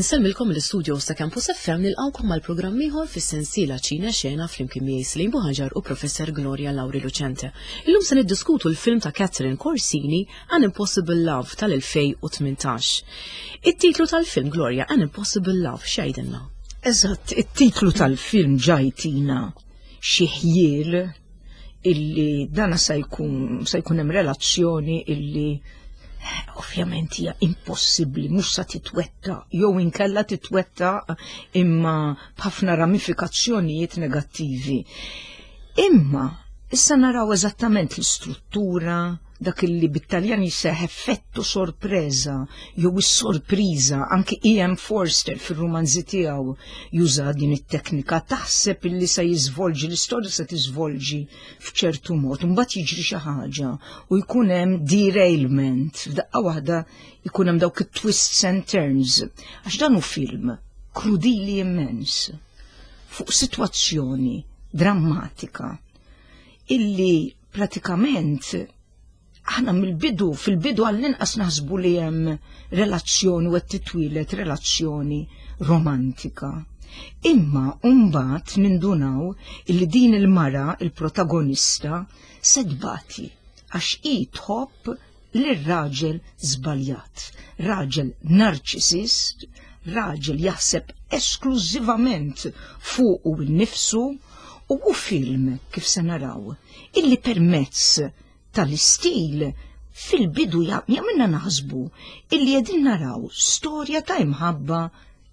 Insellmilkom mill-istudios ta' Campus FM nilqgħukom għal programm ieħor fis-sensiela Ċine Xena flimkien miegħi Slim Buħaġar u Professor Gloria Lauri Lucente. Illum se niddiskutu l-film ta' Catherine Corsini An Impossible Love tal-2018. It-titlu tal-film Gloria An Impossible Love x'jgħidilna? Eżatt, it-titlu tal-film ġajtina xi ħjiel illi dana se jkun se jkun hemm relazzjoni illi eh, ovvjament hija impossibbli mhux sa titwetta jew inkella titwetta imma b'ħafna ramifikazzjonijiet negattivi. Imma issa naraw eżattament l-istruttura, dak illi bit-Taljan jisseħ effettu sorpresa jew is-sorpriża anki E.M. Forster fir-rumanzi tiegħu juża din it-teknika taħseb illi se jiżvolġi l-istorja se tiżvolġi f'ċertu mod, imbagħad jiġri xi ħaġa u jkun hemm derailment, f'daqqa waħda jkun hemm dawk it-twists and turns. Għax dan hu film krudili immens fuq sitwazzjoni drammatika illi pratikament aħna mill-bidu, fil-bidu għall-inqas naħsbu li hemm relazzjoni u qed titwieled relazzjoni romantika. Imma mbagħad nindunaw illi din il-mara, il-protagonista, se tbati għax hi tħobb lir-raġel żbaljat, raġel narċisist, raġel jaħseb esklużivament fuqu nnifsu u hu film kif se naraw illi permezz tal-istil fil-bidu jagħmilna naħsbu illi qegħdin naraw storja ta' imħabba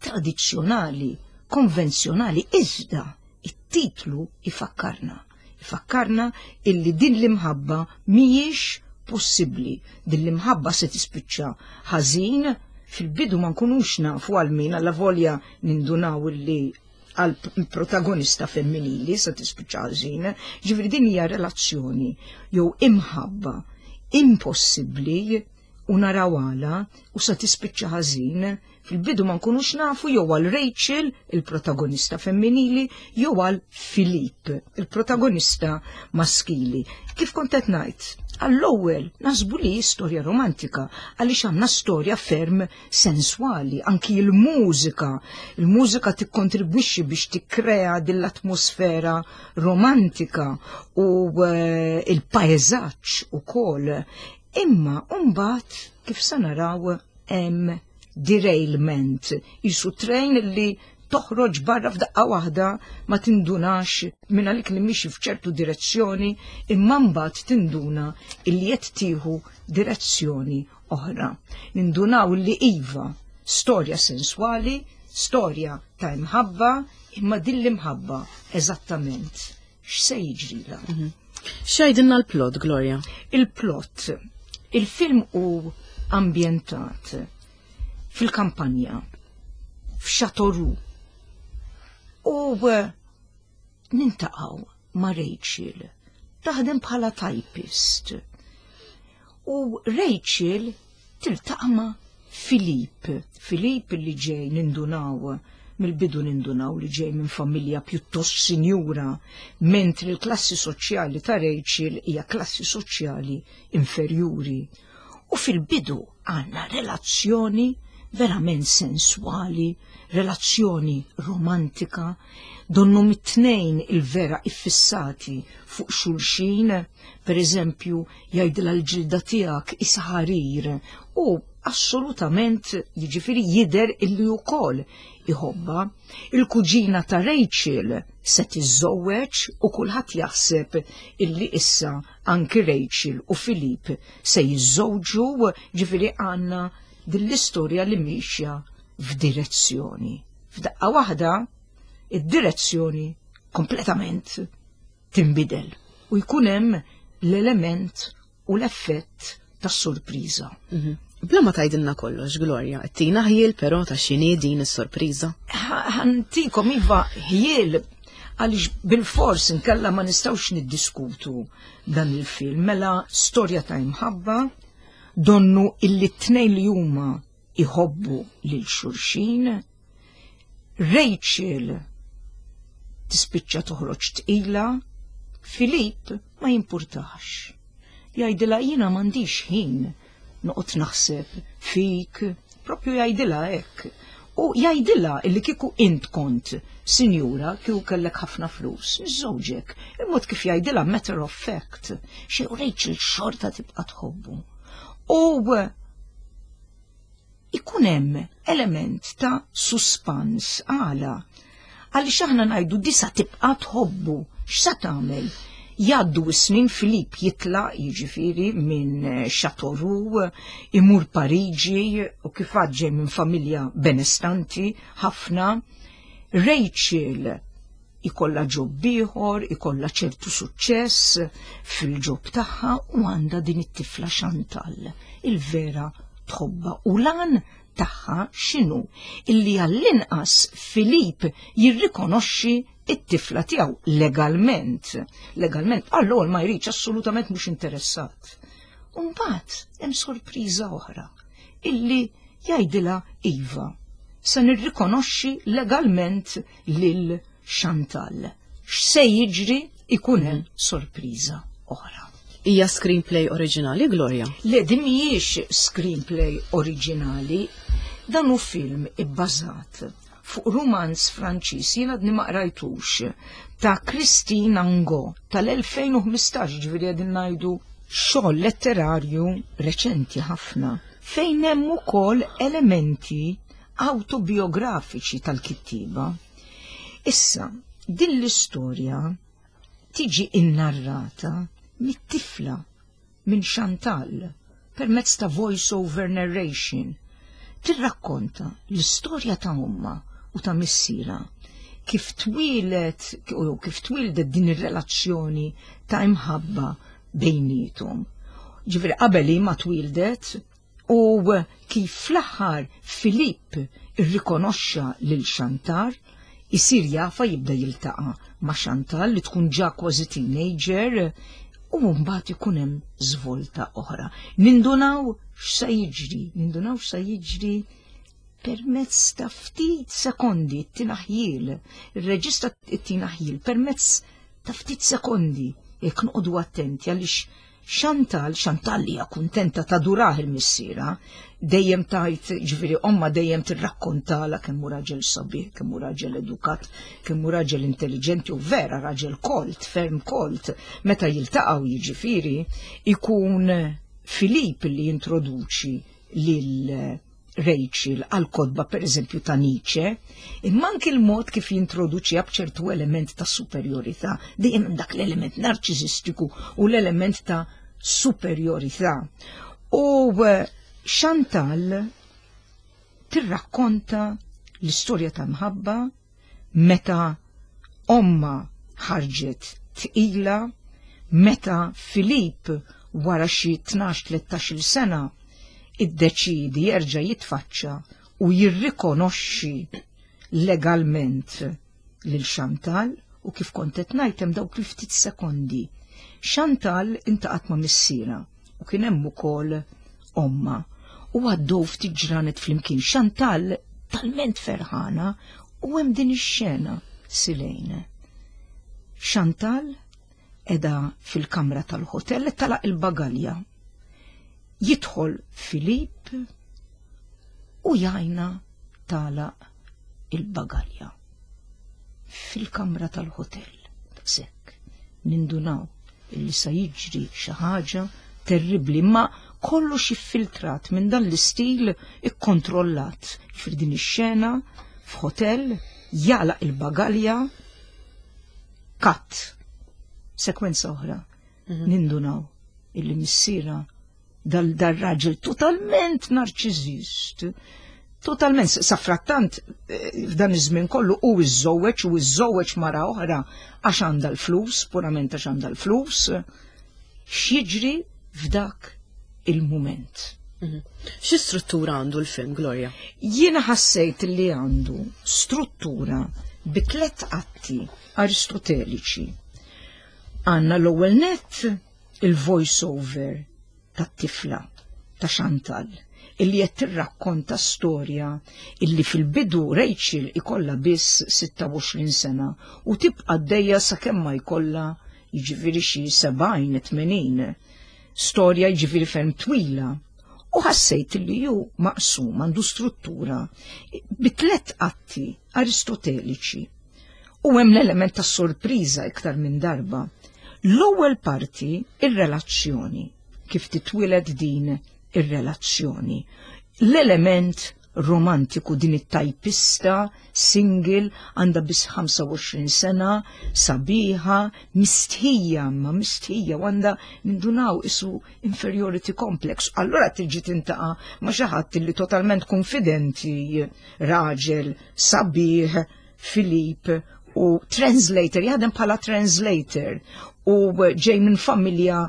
tradizzjonali, konvenzjonali, iżda it-titlu ifakkarna. Ifakkarna illi din l-imħabba mhijiex possibbli. Din l-imħabba se tispiċċa ħażin, fil-bidu ma nkunux nafu għal min alla volja nindunaw illi għal protagonista femminili se tispiċċa ħażin. Ġifieri din hija relazzjoni jew imħabba impossibbli u naraw għala u se tispiċċa ħażin, fil-bidu ma nkunux nafu jew għal Rachel, il-protagonista femminili, jew għal Filip, il-protagonista maskili. Kif kont qed ngħid, għall-ewwel naħsbu li storja romantika għaliex għandna storja ferm senswali, anki l-mużika. Il-mużika tikkontribwixxi biex tikkrea din l-atmosfera romantika u eh, il-paesaġġ ukoll. Imma mbagħad kif se naraw hemm derailment, jisu train li toħroġ barra f'daqqa waħda ma tindunax minn għalik li mixi f'ċertu direzzjoni imma mbagħad tinduna illi qed tieħu direzzjoni oħra. Nindunaw li iva, storja senswali, storja ta' imħabba, imma din l-imħabba eżattament x'se jiġrilha. Mhm. X'għidilna l-plot, Gloria? Il-plot. Il-film hu ambjentat fil-kampanja, f'Châteauroux. U eh, nintaqgħu ma' Rachel, taħdem bħala typist. U Rachel tiltaqa' ma' Philippe, Philippe li ġej nindunaw mill-bidu nindunaw li ġej minn familja pjuttost sinjura, mentri l-klassi soċjali ta' Rachel hija klassi soċjali inferjuri. U fil-bidu għandna relazzjoni verament senswali, relazzjoni romantika, donnu mit-tnejn il-vera iffissati fuq xulxin, per eżempju, jgħidilha l-ġilda tiegħek isa ħarir u assolutament jiġifieri jidher illi wkoll iħobba. Il-kuġina ta' Rachel se tiżżewweġ u kulħadd jaħseb illi issa anki Rachel u Filip se jiżżewġu, ġifieri għandna din l-istorja li miexja f'direzzjoni. F'daqqa waħda id-direzzjoni kompletament tinbidel u jkun hemm l-element u l-effett tas-sorpriża. Mhm. Bla ma tgħidilna kollox, Gloria, tina ħjiel però ta' x'inhi din is-sorpriża. Ħantikom iva ħjiel għaliex bil-fors inkella ma nistgħux niddiskutu dan il-film mela storja ta' imħabba donnu illi t-tnejn li huma iħobbu lil xulxin Rachel tispiċċa toħroġ tqila, Filip ma jimpurtax. Jgħidilha jiena m'għandix ħin noqgħod naħseb fik, propju jgħidilha hekk. U jgħidilha illi kieku int kont sinjura kieku kellek ħafna flus, niżżewġek. Il-mod kif jgħidilha matter of fact, xi Rachel xorta tibqa' tħobbu. U ikun hemm element ta' suspans għala. Għaliex aħna ngħidu disa tibqa' tħobbu, x'sa tagħmel? Jgħaddu s-snin Filip jitlaq jiġifieri minn Châteauroux, imur Pariġi u kif ġej minn familja benestanti ħafna. Rachel ikollha job ieħor, ikollha ċertu suċċess fil-job tagħha u għandha din it-tifla Chantal, il-vera tħobba u lan tagħha x'inhu illi għall-inqas Filip jirrikonoxxi it-tifla tiegħu legalment. Legalment, għall ma jridx assolutament mhux interessat. Umbagħad hemm sorpriża oħra illi jgħidilha iva, se nirrikonoxxi legalment lil Chantal. X'se jiġri ikun hemm sorpriża oħra. Hija screenplay oriġinali, Gloria? Le, din mhijiex screenplay oriġinali, dan hu film ibbażat fuq rumanz Franċiż jiena għadni ma qrajtux ta' Christine Angot tal-2015 ġifieri qegħdin ngħidu xogħol letterarju reċenti ħafna fejn hemm ukoll elementi autobiografiċi tal-kittiba. Issa, din l-istorja tiġi innarrata mit-tifla minn Chantal permezz ta' voice-over narration. Tirrakkonta l-istorja ta' omma u ta' missira kif twieled u kif twildet din ir-relazzjoni ta' imħabba bejnietom. Ġifieri qabel ma twildet u kif fl-aħħar Filip irrikonoxxa lil Chantal, isir jafa jibda jiltaqa' ma' Chantal li tkun ġa kważi teenager u mbagħad ikun hemm żvolta oħra. Nindunaw x'sa jiġri, nindunaw x'sa jiġri permezz ta' ftit sekondi t-tinaħjil, il-reġista t-tinaħjil permezz ta' ftit sekondi, jekk noqogħdu attenti għaliex Chantal, Chantal hija kuntenta tadurah il-missiera, dejjem tajt, ġifieri omma dejjem tirrakkontala kemm hu raġel sabiħ, kemm hu raġel edukat, kemm hu raġel intelligenti u vera raġel kolt, ferm kolt. Meta jiltaqgħu jiġifieri ikun Filip li jintroduċi lil Rachel għal kotba per eżempju ta' Nietzsche, imma anki l-mod kif jintroduċiha b'ċertu element ta' superjorità, dejjem hemm dak l-element narċisistiku u l-element ta' superjorità. U Chantal tirrakkonta l-istorja ta' mħabba meta omma ħarġet tqila, meta Filip wara xi 12-13 sena iddeċidi jerġa' jitfaċċa u jirrikonoxxi legalment lil Chantal u kif kont qed ngħid hemm dawk il-ftit sekondi. Chantal intaqat ma' missiera u kien hemm ukoll omma u għaddew ftit ġranet flimkien. Chantal talment ferħana u hemm din ix-xena Silejn. Chantal edha fil-kamra tal-hotel talaq il-bagalja. Jidħol Filip u jajna talaq il-bagalja fil-kamra tal-hotel. Sekk, nindunaw illi sa jiġri xi ħaġa terribbli, ma kollox iffiltrat minn dan l-istil ikkontrollat. Ġifieri din ix-xena f'hotel jagħlaq il-bagalja cut. Sekwenza oħra. Nindunaw illi missiera dal-raġel totalment narċiżist. Totalment, safrattant f'dan iż-żmien kollu u iżżewweġ u iżżewweġ mara oħra għax għandha l-flus, purament għax għandha l-flus, x'jiġri f'dak il-mument. Xi struttura għandu l-film, Gloria? Jiena ħassejt li għandu struttura bi tliet atti aristoteliċi. Għandna l-ewwel net il-voice-over tat-tifla ta' Chantal illi qed tirrakkonta storja illi fil-bidu Rachel ikollha biss 26 sena u tibqa' għaddejja sakemm ma jkollha jiġifieri xi 70 80. Storja jiġifieri ferm twila. U ħassejt li ju maqsum għandu struttura bi tlet atti aristoteliċi. U hemm l-element ta' sorpriża iktar minn darba. L-ewwel parti ir-relazzjoni, kif titwieled din ir-relazzjoni. L-element romantiku din it-tajpista single għandha biss 25 sena, sabiħa, mistħija, ma mistħija u għandha nindunaw isu inferiority complex. Allura tiġi tintaqa' ma' xi ħadd li totalment konfidenti, raġel, sabiħ, Filip u translator, jaħdem bħala translator u ġej minn familja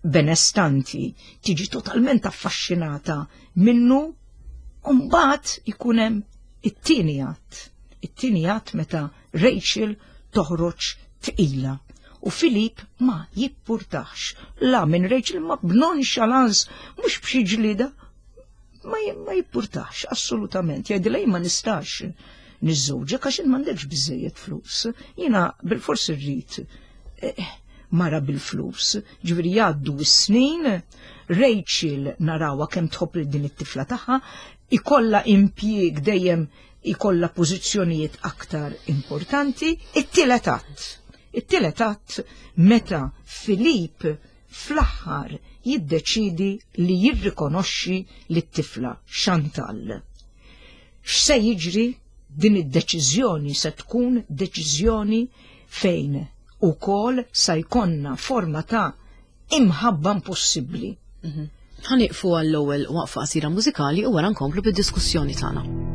benestanti, tiġi totalment affaxxinata minnu u mbagħad ikun hemm it-tieni att. It-tieni att meta Rachel toħroġ tqila u Filip ma jippurtax la minn Rachel ma b'nonchalance mhux b'xi ġlida ma, ma jippurtax assolutament. Jgħidilha ma nistax niżżewġek għax m'għandekx biżejjed flus. Jiena bil-fors irrid eh, mara bil-flus. Ġifieri jgħaddu s-snin, Rachel narawha kemm tħobb lil din it-tifla tagħha, ikollha impjieg dejjem ikollha pożizzjonijiet aktar importanti. It-tielet att. It-tielet att meta Filip fl-aħħar jiddeċiedi li jirrikonoxxi lit-tifla Chantal. X'se jiġri din id-deċiżjoni se tkun deċiżjoni fejn ukoll sa jkollna forma ta' imħabba impossibbli. Mhm. Ħa nieqfu għall-ewwel waqfa qasira mużikali u wara nkomplu bid-diskussjoni tagħna.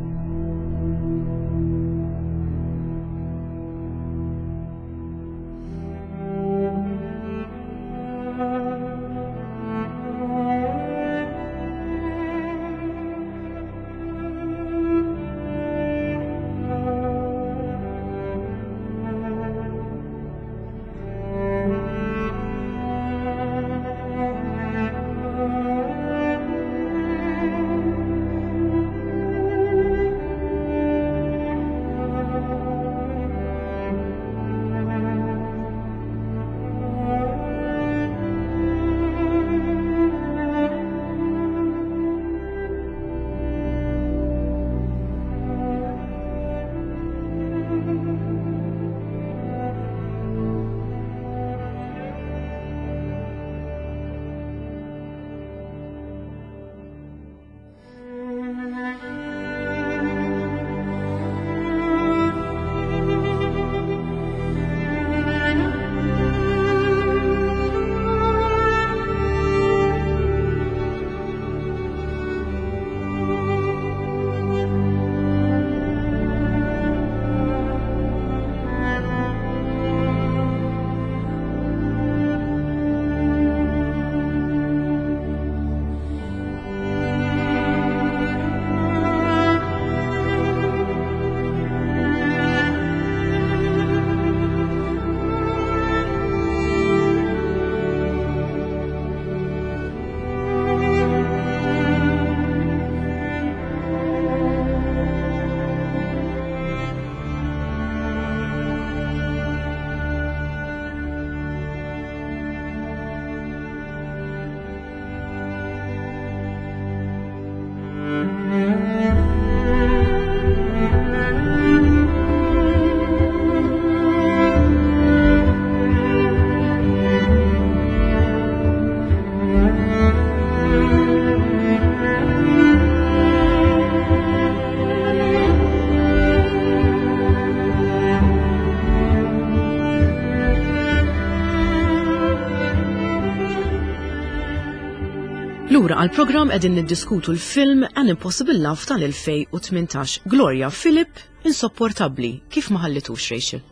Lura għal-programm qegħdin niddiskutu l-film An Impossible Love tal-2018. Gloria Philip, insopportabbli. Kif ma ħallitux Rachel?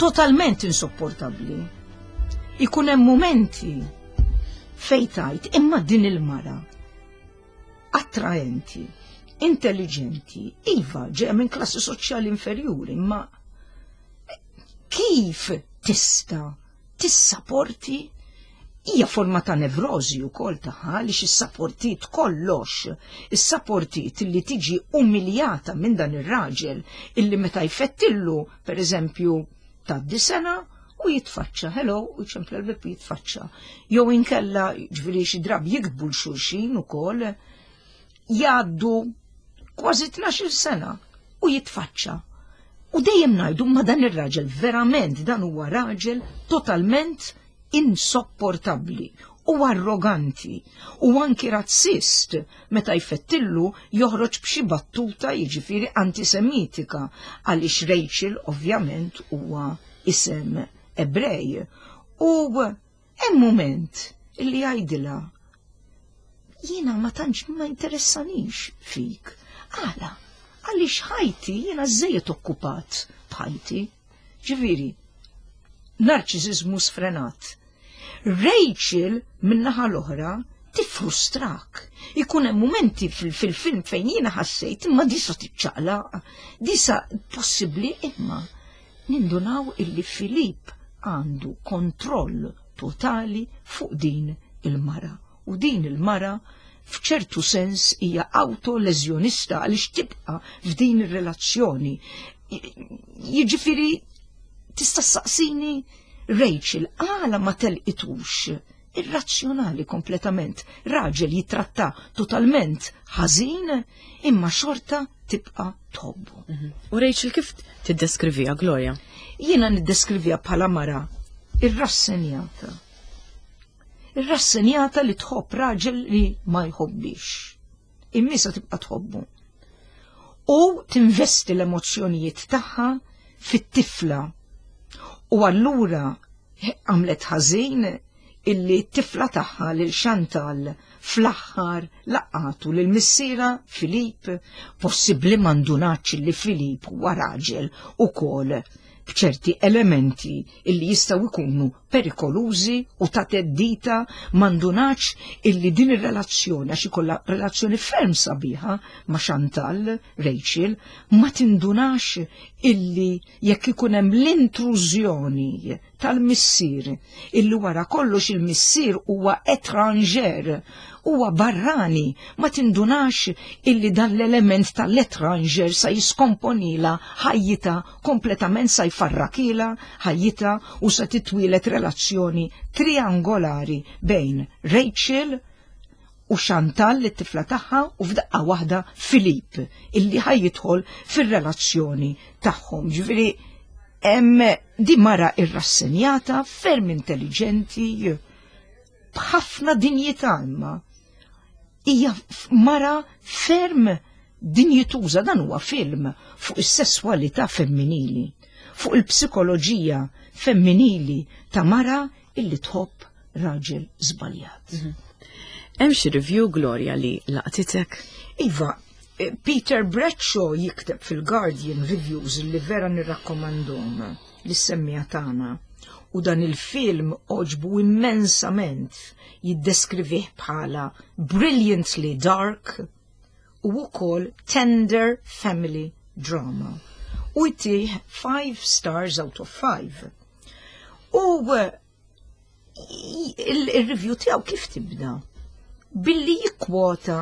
Totalment insopportabbli. Ikun hemm mumenti fejn tajt imma din il-mara attraenti, intelligenti, iva ġeja minn klassi soċjali inferjuri, imma kif tista' tissaporti hija forma ta' nevrożi wkoll tagħha li issaportit kollox, issaportit li tiġi umiljata minn dan ir-raġel illi meta jfettillu, pereżempju, tgħaddi sena. U jitfaċċa, hello, u jċempla l-bib jitfaċċa. Jew inkella, ġifieri xi drabi jiktbu 'l xulxin ukoll, jgħaddu kważi 12 sena u jitfaċċa. U dejjem ngħidu ma dan ir-raġel verament dan huwa raġel totalment insopportabbli u arroganti u anki razzist meta jfettillu joħroġ b'xi battuta jiġifieri antisemitika għaliex Rachel ovvjament huwa isem Ebrej. U hemm mument illi jgħidilha jiena ma tantx ma interessanix fik. Għala, għaliex ħajti jiena żejjed okkupat b'ħajti. Ġifieri, narċiżiżmu sfrenat. Rachel min-naħa l-oħra tifrustrak. Ikun hemm mumenti fil-film fejn jiena ħassejt imma disa tiċċaqlaq, disa possibbli imma nindunaw illi Filip għandu kontroll totali fuq din il-mara. U din il-mara f'ċertu sens hija autoleżjonista għaliex tibqa' f'din ir-relazzjoni. Jiġifieri tista' ssaqsini Rachel għala ma telqitux irrazzjonali kompletament. Raġel jitratta totalment ħażin imma xorta tibqa' tħobbu. U Rachel kif tiddeskrivija Gloria? Jiena niddeskrivija bħala mara irrassenjata. Irrassenjata li tħobb raġel li ma jħobbix. Immisa tibqa' tħobbu. U tinvesti l-emozzjonijiet tagħha fit-tifla. U allura għamlet ħażin illi t-tifla tagħha lil Chantal fl-aħħar laqatu lil missiera Filip, possibbli ma ndunax li Filip huwa raġel ukoll b'ċerti elementi illi jistgħu jkunu perikolużi u ta' teddita, ma ndunax illi din ir-relazzjoni, għax ikollha relazzjoni ferm sabiħa ma' Chantal, Rachel, ma tindunax illi jekk ikun hemm l-intrużjoni tal-missier, illi wara kollox il-missier huwa étranger, huwa barrani, ma tindunax illi dan l-element tal-étranger sa jiskomponila ħajjita kompletament, sa jfarrakila ħajjita u sa titwilet relazzjoni triangolari bejn Rachel u Chantal, it-tifla tagħha, u f'daqqa waħda Filip illi ħajjidħol fir-relazzjoni tagħhom. Ġifieri hemm di mara irrassenjata, ferm intelligenti, b'ħafna dinjità, imma hija mara ferm dinjituża. Dan huwa film fuq is-sesswalità femminili, fuq il-psikoloġija femminili ta' mara illi tħobb raġel żbaljat. Hemm xi review, Gloria, li laqtitek? Iva, Peter Bradshaw jikteb fil-Guardian Reviews li vera nirrakkomandhom lis-semmiegħa tagħna. U dan il-film għoġbu immensament, jiddeskrivih bħala brilliantly dark u wkoll tender family drama. U jtih 5 stars out of 5. U il-review tiegħu kif tibda? Billi jikkwota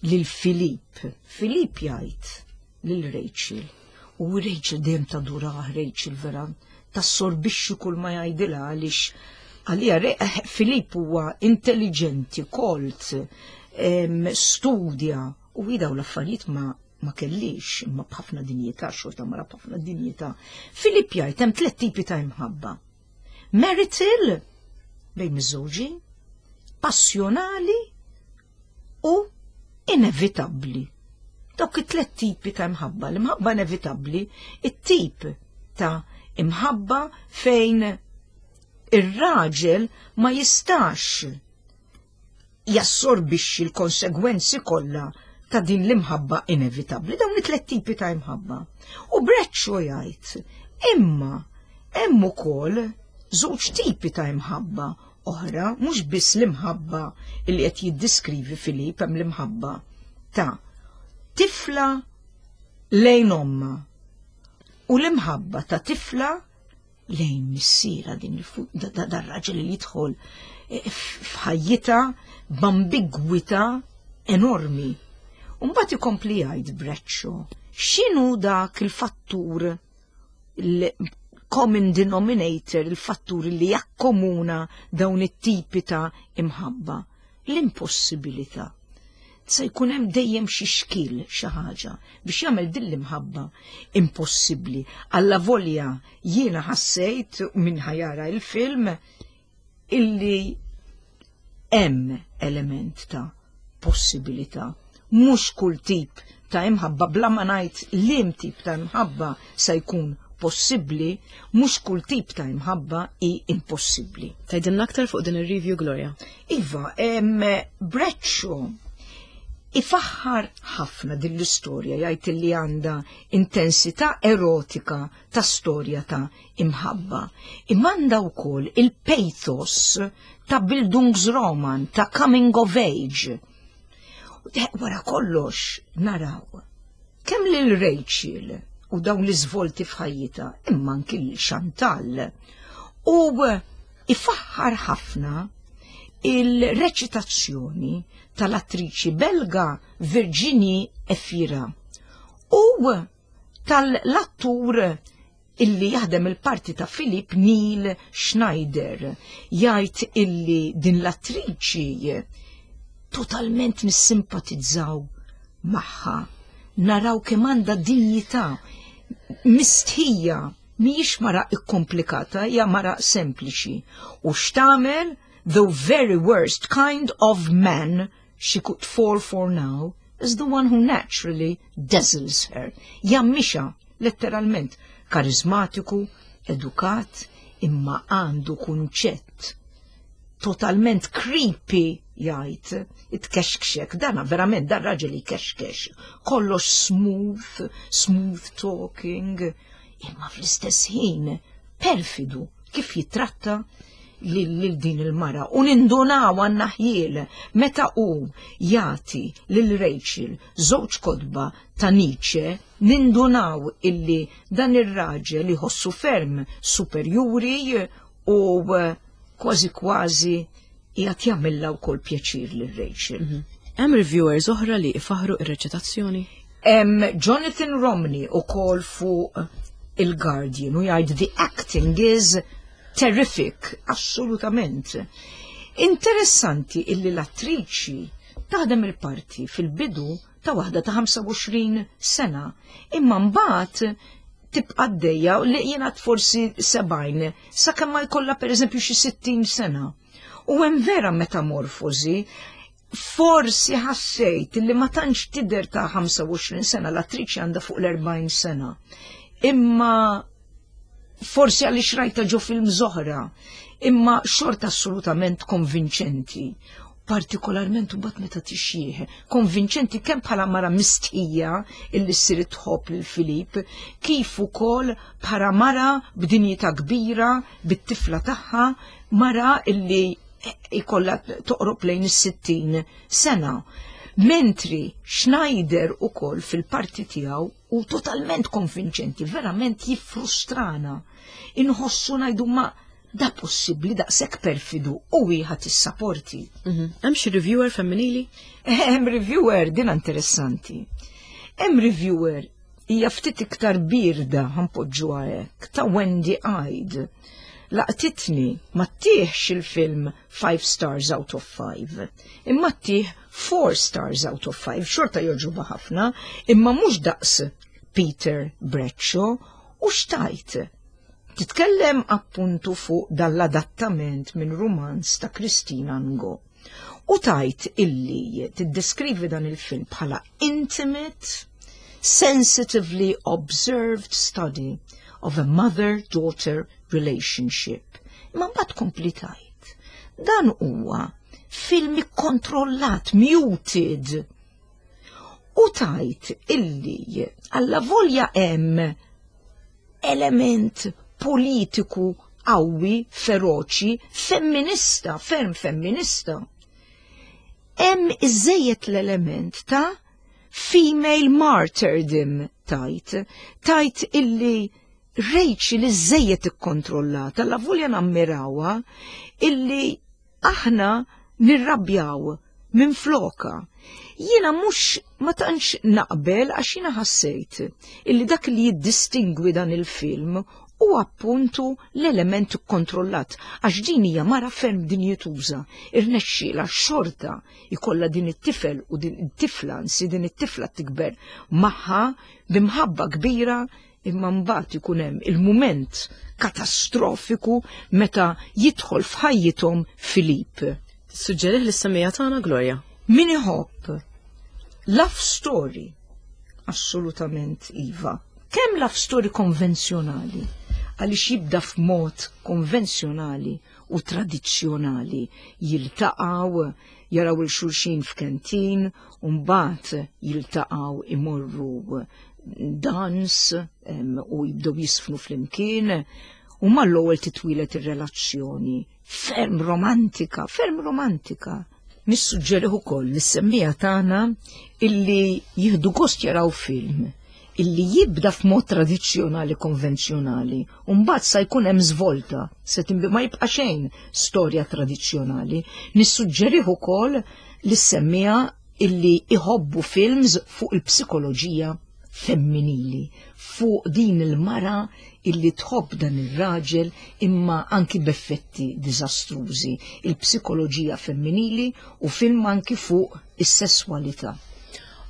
lil Filip. Filip jgħid lil Rachel, u Rachel dejjem tadurah, Rachel vera tassorbixxi kull ma jgħidilha għaliex għalija Filip huwa intelligenti, kolt, studja u daw l-affarijiet ma kellix, imma b'ħafna dinjità, xorta mara b'ħafna dinjità. Filip jgħid hemm tliet tipi ta' imħabba. Marital, bejn miżżewġin, passjonali u inevitabbli. Dawk it-tliet tipi ta' imħabba. L-imħabba inevitabbli, it-tip ta' imħabba fejn ir-raġel ma jistax jassorbixxi l-konsegwenzi kollha ta' din l-imħabba inevitabbli, dawn it-tliet tipi ta' imħabba. U Bradshaw jgħid, imma hemm ukoll żewġ tipi ta' imħabba oħra, mhux biss l-imħabba li qed jiddiskrivi Filip, hemm l-imħabba ta' tifla lejn omma u l-imħabba ta' tifla lejn missiera, din dar-raġel li jidħol f'ħajjitha b'ambigwità enormi. Mbagħad ikompli jgħid Bradshaw, x'inhu dak il-fattur. il-common denominator, il-fattur li jakkomuna dawn it-tipi ta' imħabba? L-impossibilità. Se jkun hemm dejjem xi xkil xi ħaġa biex jagħmel din l-imħabba impossibbli. Alla volja jiena ħassejt minn ħajara il-film illi hemm element ta' possibilità. Mhux kull tip ta' imħabba bla ma ngħid liem tip ta' imħabba se jkun possibbli, mhux kull tip ta' imħabba hi impossibbli. Tgħidilna aktar fuq din ir-review Gloria. Iva, Bradshaw ifaħħar ħafna din l-istorja jgħid li għandha intensità erotika ta' storja ta' imħabba. Imma għandha wkoll il-pathos ta' Bildungsroman, ta' coming of age. Wara kollox naraw kemm lil Rachel u dawn l-iżvolti f'ħajjitha, imma anki lil Chantal. U ifaħħar ħafna il-reċitazzjoni tal-attriċi Belga Virginie Efira u tal-attur illi jaħdem il-parti ta' Philip Neil Schneider jgħid illi din l-attriċi totalment nissimpatizzaw magħha. Naraw kemm għandha dinjità mistħija mhijiex mara ikkomplikata, hija mara sempliċi. U x'tagħmel the very worst kind of man she could fall for now is the one who naturally dazzles her. Jammixa, letteralment, karizmatiku, edukat, imma għandu kunċett totalment creepy jgħid, itkexkxek, dana verament dan raġel jkexkex, kollox smooth, smooth talking, imma fl-istess ħin perfidu kif jitratta lil din il-mara u nindunaw għandna ħjiel meta hu jagħti lil Rachel żewġ kotba ta' Nietzsche nindunaw illi dan ir-raġel iħossu ferm superjuri u kważi kważi qiegħed jagħmilha wkoll pjaċir lil Rachel. Mhm. Hemm reviewers oħra li ifaħru ir-reċitazzjoni? Hemm Jonathan Romney ukoll fuq il-Guardian u jgħid the acting is terrific, assolutament. Interessanti illi l-attriċi taħdem il-parti fil-bidu ta' waħda ta' 25 sena, imma mbagħad tibqa' għaddejja li jiena forsi 70 sakemm ma jkollha pereżempju xi 60 sena. U hemm vera metamorfosi forsi ħassejt li ma tantx tidher ta' 25 sena, l-attriċi għandha fuq l-40 sena. Imma forsi għaliex rajta ġo film oħra, imma xorta assolutament konvinċenti. Partikolarment u bat meta tixjieħ, konvinċenti kemm bħala mara mistħija illi ssir tħobb lil Filip, kif ukoll bħala mara b'dinjità kbira bit-tifla tagħha, mara illi ikolla toqrob lejn is-60 sena. Mentri Schneider ukoll fil-parti tiegħu u totalment konvinċenti, verament jiffrustrana. Inħossu ngħidu ma da possibbli daqshekk perfidu u wieħed tissaporti. Mhm. Hemm xi reviewer femminili? Hemm reviewer din interessanti. Hemm reviewer hija ftit iktar birda ħanpoġġuha hekk ta' Wendy Hyde. Laqtitni ma ttihx il-film 5 stars out of 5, imma ttih 4 stars out of 5, xorta jogħġobha ħafna, imma mhux daqs Peter Bradshaw u xtajt. Titkellem appuntu fuq dal-adattament minn rumanz ta' Christina Ngo. U tajt illi tiddeskrivi dan il-film bħala intimate, sensitively observed study of a mother-daughter relationship. Imma mbagħad kompli tajt. Dan huwa film ikkontrollat, muted. U tajt illi alla volja hemm element politiku qawwi, feroċi, femminista, ferm femminista. Hemm iżejjed l-element ta' female martyrdom tajt, tajt illi Rachel iżejjed ikkontrollata, la volja nammirawha illi aħna nirrabjaw minn floka. Jiena mhux ma tantx naqbel għax jiena ħassejt illi dak li jiddistingwi dan il-film U appuntu l-element kontrollat, għax din hija mara ferm dinjituża, irnexxiela xorta ikollha din it-tifel u din it-tifla, nsi din it-tifla tikber magħha b'imħabba kbira imma mbagħad ikun hemm il-mument katastrofiku meta jidħol f'ħajjithom Filip. Tissuġġerih lis-semmiegħa tagħna Gloria? Min iħobb love story, assolutament iva. Kemm love story konvenzjonali, għaliex jibda f'mod konvenzjonali u tradizzjonali, jiltaqgħu, jaraw il xulxin f'kentin, u mbagħad jiltaqgħu imorru dans u jibdew jisfnu flimkien, u mal-ewwel titwilet ir-relazzjoni ferm romantika, ferm romantika. Nissuġġerih ukoll lis-semmiegħa tagħna illi jieħdu gost jaraw film illi jibda f'mod tradizzjonali konvenzjonali u mbagħad sa jkun hemm żvolta, se tinbi ma jibqa' xejn storja tradizzjonali. Nissuġġerih ukoll lis-semmiegħa illi iħobbu films fuq il-psikoloġija femminili, fuq din il-mara illi tħobb dan ir-raġel imma anki b'effetti diżastrużi, il-psikoloġija femminili u film anki fuq is-sesswalità.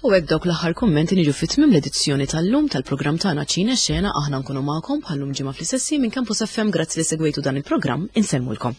U hekk dawk l-aħħar kummenti niġu fi tmiem l-edizzjoni tal-lum tal-programm tagħna Ċine Xena aħna nkunu magħkom bħallum ġimgħa fl-istess minn Campus FM grazzi li segwejtu dan il-programm insellmulkom.